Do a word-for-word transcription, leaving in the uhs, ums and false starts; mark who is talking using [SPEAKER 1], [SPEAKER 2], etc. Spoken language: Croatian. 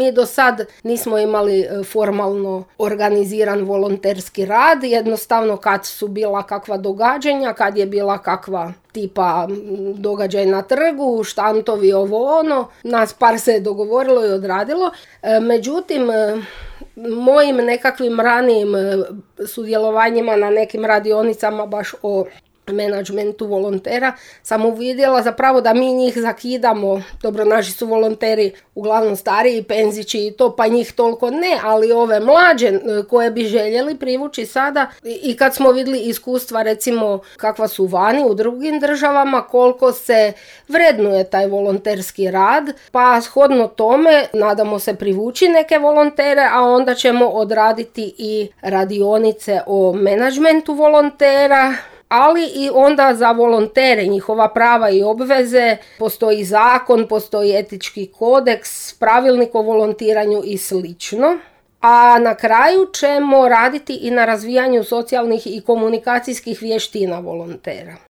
[SPEAKER 1] Mi do sad nismo imali formalno organiziran volonterski rad, jednostavno kad su bila kakva događanja, kad je bila kakva tipa događaj na trgu, štantovi, ovo ono, nas par se je dogovorilo i odradilo. Međutim, mojim nekakvim ranijim sudjelovanjima na nekim radionicama baš o menadžmentu volontera sam uvidjela zapravo da mi njih zakidamo. Dobro, naši su volonteri uglavnom stariji, penzići i to, pa njih toliko ne, ali ove mlađe koje bi željeli privući sada, i kad smo vidjeli iskustva recimo kakva su vani u drugim državama, koliko se vrednuje taj volonterski rad, pa shodno tome nadamo se privući neke volontere, a onda ćemo odraditi i radionice o menadžmentu volontera, ali i onda za volontere, njihova prava i obveze, postoji zakon, postoji etički kodeks, pravilnik o volontiranju i slično. A na kraju ćemo raditi i na razvijanju socijalnih i komunikacijskih vještina volontera.